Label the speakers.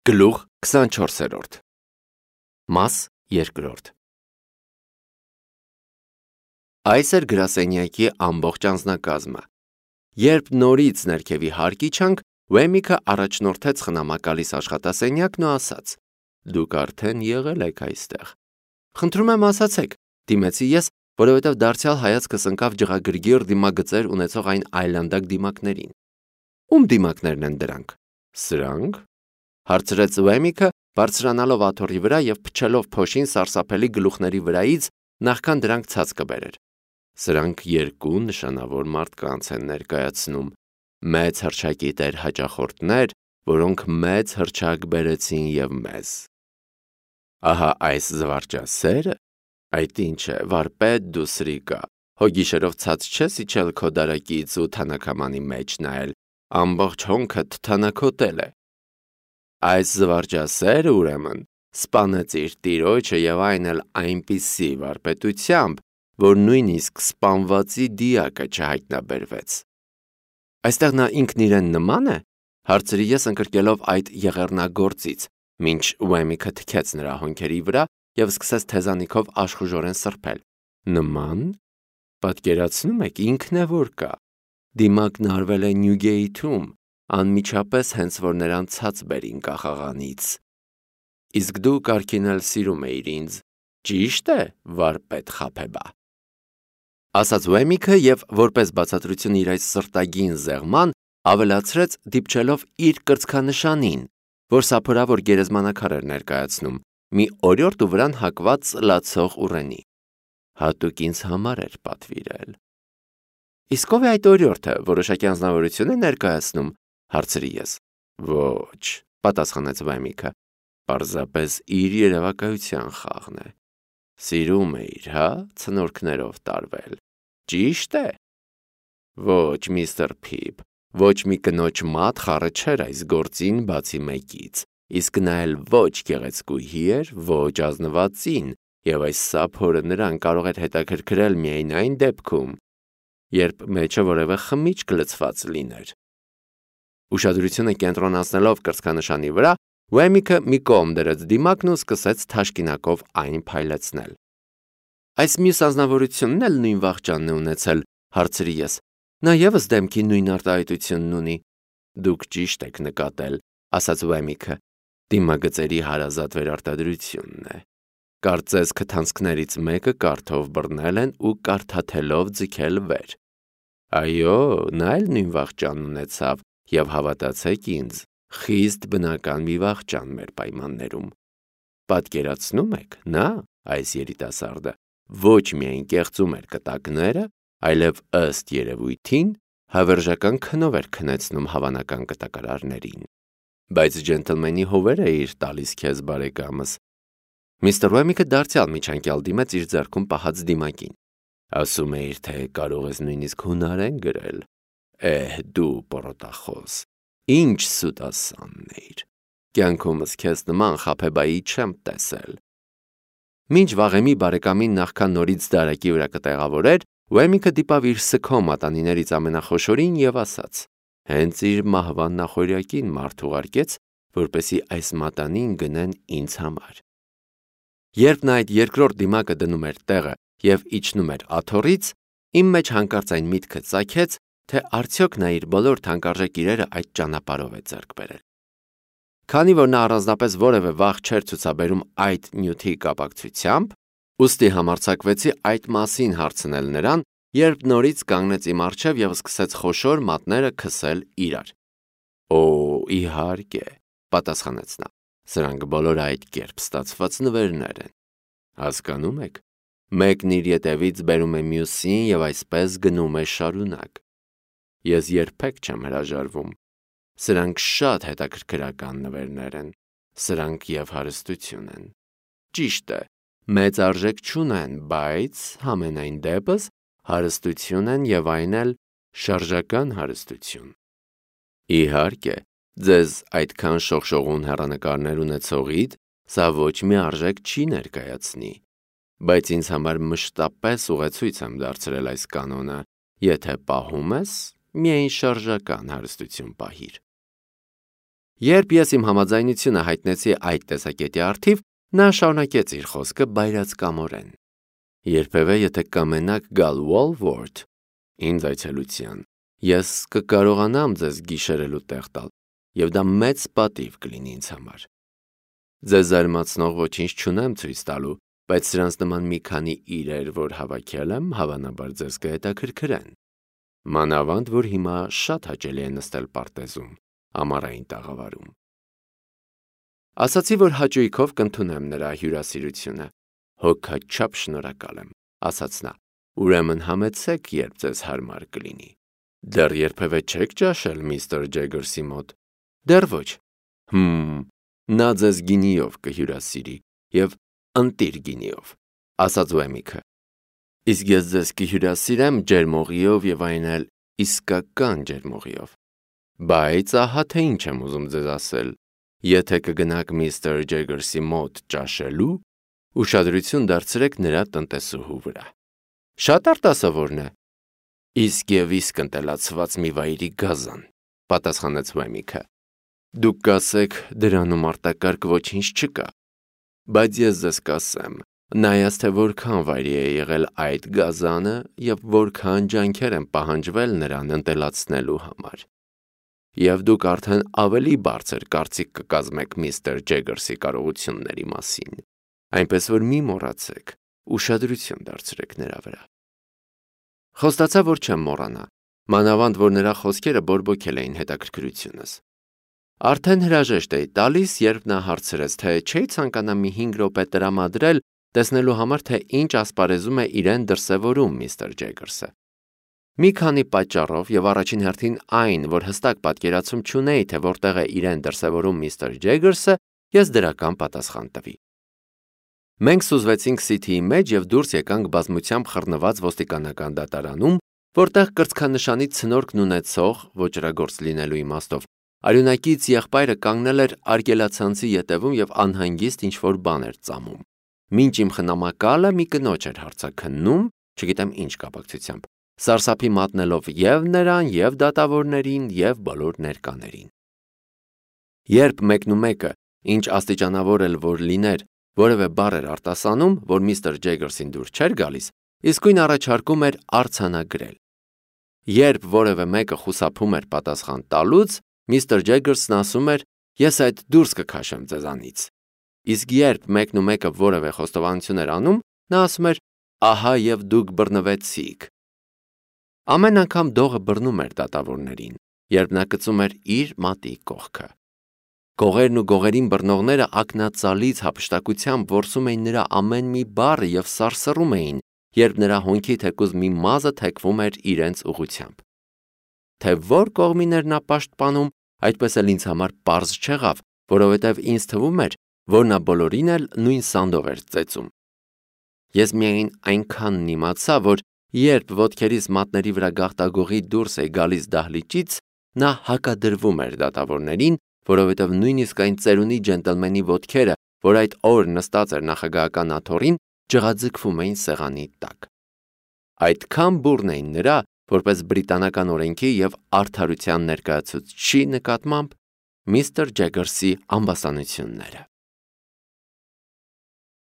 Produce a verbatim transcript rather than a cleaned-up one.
Speaker 1: Գլուխ քսանչորսերորդ Մաս երկրորդ Այս էր գրասենյակի ամբողջ անձնակազմը։ Երբ նորից ներքևի հարկ իջանք, Ուեմիկը առաջնորդեց խնամակալիս աշխատասենյակն ու ասաց. «Դուք արդեն եղել եք այստեղ»։ «Խնդրում եմ ասացեք», դիմեցի ես, որովհետև դարձյալ հայացքս ընկավ ջղագրգիռ դիմագծեր ունեցող այն այլանդակ դիմակներին։ Ում դիմակներն են դրանք։ Սրանք, հարցրեց Ուեմիկը, բարձրանալով աթոռի վրա և փչելով փոշին սարսափելի գլուխների վրայից, նախքան դրանք ցած կբերեր։ Սրանք երկու նշանավոր մարդկանց են ներկայացնում, մեծ հռչակի տեր հաճախորդներ, որոնք մեծ հռչակ բերեցին և մեզ։ Ահա այս զվարճասերը, այդ ինչ է, վարպետ դու սրիկա, հո գիշերով ցած չես իջել քո դարակից ու թանաքամանի մեջ նայել, ամբողջ հոնքդ թանաքոտել է։ Այս զվարճասերը, ուրեմն, սպանեց իր տիրոջը և այն էլ այնպիսի վարպետությամբ, որ նույնիսկ սպանվածի դիակը չհայտնաբերվեց։ Այստեղ նա ինքն իրեն նման է, հարցրի ես ընկրկելով այդ եղեռնագործից, մինչ Ուեմիկը թքեց նրա հոնքերի վրա և սկսեց թեզանիքով աշխուժորեն սրբել։ Նման։ Պատկերացնում եք, ինքն է որ կա։ Դիմակն արվել է Նյուգեյթում, անմիջապես հենց որ նրան ցած բերին կախաղանից։ Իսկ դու կարգին էլ սիրում էիր ինձ, ճի՞շտ է, վարպետ Խաբեբա։ Ասաց Ուեմիկը և որպես բացատրություն իր այս սրտագին զեղման, ավելացրեց դիպչելով իր կրծքանշանին, որ սափորավոր գերեզմանակար էր ներկայացնում, մի օրիորդ ու վրան հակված ծլացող ուռենի։ Հատուկ ինձ համար էր պատվիրել։ Իսկ ով է այդ օրիորդը, որոշակի անձնավորություն է ներկայացնում, հարցրի ես։ Ոչ, պատասխանեց Ուեմիկը, պարզապես իր երևակայության խաղն է։ Սիրում էիր, հա, ցնորքներով տարվել։ Ճիշտ է։ Ոչ, միստր Փիփ, ոչ մի կնոջ մատ խառը չէր այս գործին բացի մեկից, իսկ նա էլ ոչ գեղեցկուհի էր, ոչ ազնվածին, և այս սափորը նրան կարող էր հետաքրքրել միայն այն դեպքում, երբ մեջը որևէ խմիչք լցված լիներ։ Ուշադրությունը կենտրոնացնելով կրծքանշանի վրա, Ուեմիկը մի կողմ դրեց դիմակն ու սկսեց թաշկինակով այն փայլեցնել։ Այս մյուս անձնավորությունն էլ նույն վախճանն է ունեցել, հարցրի ես։ Նա ևս դեմքի նույն արտահայտությունն ունի։ Դուք ճիշտ եք նկատել, ասաց Ուեմիկը, դիմագծերի հարազատ վերարտադրությունն է։ Կարծես քթանցքներից մեկը կարթով բռնել են ու կարթաթելով ձգել վեր։ Այո, նա էլ նույն վախճանն ունեցավ և հավատացեք ինձ, խիստ բնական մի վախճան մեր պայմաններում։ Պատկերացնում եք, նա, այս երիտասարդը, ոչ միայն կեղծում էր կտակները, այլև ըստ երևույթին հավերժական քնով էր քնեցնում հավանական կտակարարներին։ Բայց ջենտլմենի հովեր էիր տալիս քեզ, բարեկամս։ Միստր Ուեմիկը դարձյալ միջանկյալ դիմեց իր ձեռքում պահած դիմակին։ Ասում էիր, թե կարող ես նույնիսկ հունարեն գրել։ Էհ, դու պորոտախոս, ինչ սուտասանն էիր։ Կյանքումս քեզ նման Խաբեբայի չեմ տեսել։ Մինչ վաղեմի բարեկամին նախքան նորից դարակի վրա կտեղավորեր, Ուեմիկը դիպավ իր սգո մատանիներից ամենախոշորին և ասաց. Հենց իր մահվան նախօրյակին մարդ ուղարկեց, որպեսզի այս մատանին գնեն ինձ համար։ Երբ նա այդ երկրորդ դիմակը դնում էր տեղը և իջնում էր աթոռից, իմ մեջ հանկարծ այն միտքը ծագեց, թե արդյոք նա իր բոլոր թանկարժեք իրերը այդ ճանապարհով է ձեռք բերել։ Քանի որ նա առանձնապես որևէ վախ չէր ցուցաբերում այդ նյութի կապակցությամբ, ուստի համարձակվեցի այդ մասին հարցնել նրան, երբ նորից կանգնեց իմ առջև և սկսեց խոշոր մատները քսել իրար։ Օ, իհարկե, պատասխանեց նա, սրանք բոլորը այդ կերպ ստացված նվերներ են։ Հասկանում եք, մեկն իր ետևից բերում է մյուսին և այսպես գնում է շարունակ։ Ես երբեք չեմ հրաժարվում։ Սրանք շատ հետաքրքրական նվերներ են, սրանք և հարստություն են։ Ճիշտ է, մեծ արժեք չունեն, բայց համենայն դեպս հարստություն են և այն էլ շարժական հարստություն։ Իհարկե, ձեզ այդքան շողշողուն հեռանկարներ ունեցողիդ սա ոչ մի արժեք չի ներկայացնի, բայց ինձ համար մշտապես ուղեցույց եմ դարձրել այս կանոնը, եթե պահում ես, միայն շարժական հարստություն պահիր։ Երբ ես իմ համաձայնությունը հայտնեցի այդ տեսակետի առթիվ, նա շարունակեց իր խոսքը բայրացկամորեն. Երբևէ եթե կամենաք գալ Walworth ինձ այցելության, ես կկարողանամ ձեզ գիշերելու տեղ տալ, եւ դա մեծ պատիվ կլինի ինձ համար։ Ձեզ զարմացնող ոչինչ չունեմ ցույց տալու, բայց սրանց նման մի քանի իրեր, որ հավաքել եմ, հավանաբար ձեզ կհետաքրքրեն։ Մանավանդ, որ հիմա շատ հաճելի է նստել պարտեզում, ամառային տաղավարում։ Ասացի, որ հաճույքով կընդունեմ նրա հյուրասիրությունը։ Հոգաչափ շնորհակալ եմ, ասաց նա։ Ուրեմն համեցեք, երբ ձեզ հարմար կլինի։ Դեռ երբևէ չեք ճաշել միստր Ջեգերսի մոտ։ Դեռ ոչ։ Հմ, նա ձեզ գինիով կհյուրասիրի եւ ընտիր գինիով, ասաց Ուեմիքը։ Իսկ ես ձեզ կհյուրասիրեմ ջերմողիով եւ այն էլ իսկական ջերմողիով։ Բայց ահա թե ինչ եմ ուզում ձեզ ասել։ Եթե կգնաք միստր Ջեգերսի մոտ ճաշելու, ուշադրություն դարձրեք նրա տնտեսուհու վրա։ Շատ արտասովորն է։ Իսկ եւ իսկ ընտելացված մի վայրի գազան, պատասխանեց Ուեմիքը։ Դուք կասեք, դրանում արտակարգ ոչինչ չկա։ Բայց ես ձեզ կասեմ, նայած թե որքան վայրի է եղել այդ գազանը եւ որքան ջանքեր են պահանջվել նրան ընտելացնելու համար։ Եվ դուք արդեն ավելի բարձր կարծիք կկազմեք միստր Ջեգերսի կարողությունների մասին, այնպես որ մի մոռացեք, ուշադրություն դարձրեք նրա վրա։ Խոստացա, որ չեմ մոռանա, մանավանդ որ նրա խոսքերը բորբոքել էին հետաքրքրությունս։ Արդեն հրաժեշտ էի տալիս, երբ նա հարցրեց, թե չէի ցանկանա մի հինգ րոպե տրամադրել, տեսնելու համար, թե ինչ ասպարեզում է իրեն դրսևորում միստր Ջեգերսը։ Մի քանի պատճառով եւ առաջին հերթին այն, որ հստակ պատկերացում չունեի, թե որտեղ է իրեն դրսևորում միստր Ջեգերսը, ես դրական պատասխան տվի։ Մենք սուզվեցինք Սիթիի մեջ եւ դուրս եկանք բազմությամբ խռնված ոստիկանական դատարանում, որտեղ կրծքանշանի ցնորքն ունեցող ոճրագործ լինելու իմաստով արյունակից եղբայրը կանգնել էր արգելացանցի ետևում եւ անհանգիստ ինչ-որ բան էր ծամում։ Մինչ իմ խնամակալը մի կնոջ էր հարցաքննում, չգիտեմ ինչ կապակցությամբ, սարսափի մատնելով եւ նրան, եւ դատավորներին, եւ բոլոր ներկաներին։ Երբ մեկնումեկը, ինչ աստիճանավոր էլ որ լիներ, որևէ բառ էր արտասանում, որ միստր Ջեգերսին դուր չէր գալիս, իսկույն առաջարկում էր արձանագրել։ Երբ որևէ մեկը խուսափում էր պատասխան տալուց, միստր Ջեգերսն ասում էր. «Ես այդ դուրս կքաշեմ ձեզանից»։ Իսկ երբ մեկն ու մեկը որևէ խոստովանություն էր անում, նա ասում էր. «Ահա եւ դուք բռնվեցիք»։ Ամեն անգամ դողը բռնում էր դատավորներին, երբ նա գցում էր իր մատի կողքը։ Գողերն ու գողերին բռնողները ակնածալից հափշտակությամբ որսում էին նրա ամեն մի բառը եւ սարսռում էին, երբ նրա հոնքի թեկուզ մի մազը թեքվում էր իրենց ուղղությամբ։ Թե որ կողմին էր նա պաշտպանում, այդպես էլ ինձ համար պարզ չեղավ, որովհետև ինձ թվում էր, որ նա բոլորին էլ նույն սանդով էր ծեծում։ Ես միայն այնքանն իմացա, որ երբ ոտքերիս մատների վրա գաղտագողի դուրս է գալիս դահլիճից, նա հակադրվում էր դատավորներին, որովհետև նույնիսկ այն ծերունի ջենտլմենի ոտքերը, որ այդ օր նստած էր նախագահական աթոռին, ջղաձգվում էին սեղանի տակ։ Այդքան բուռն էին նրա, որպես բրիտանական օրենքի եւ արդարության ներկայացուցչի նկատմամբ միստր Ջեգերսի ամբաստանությունները։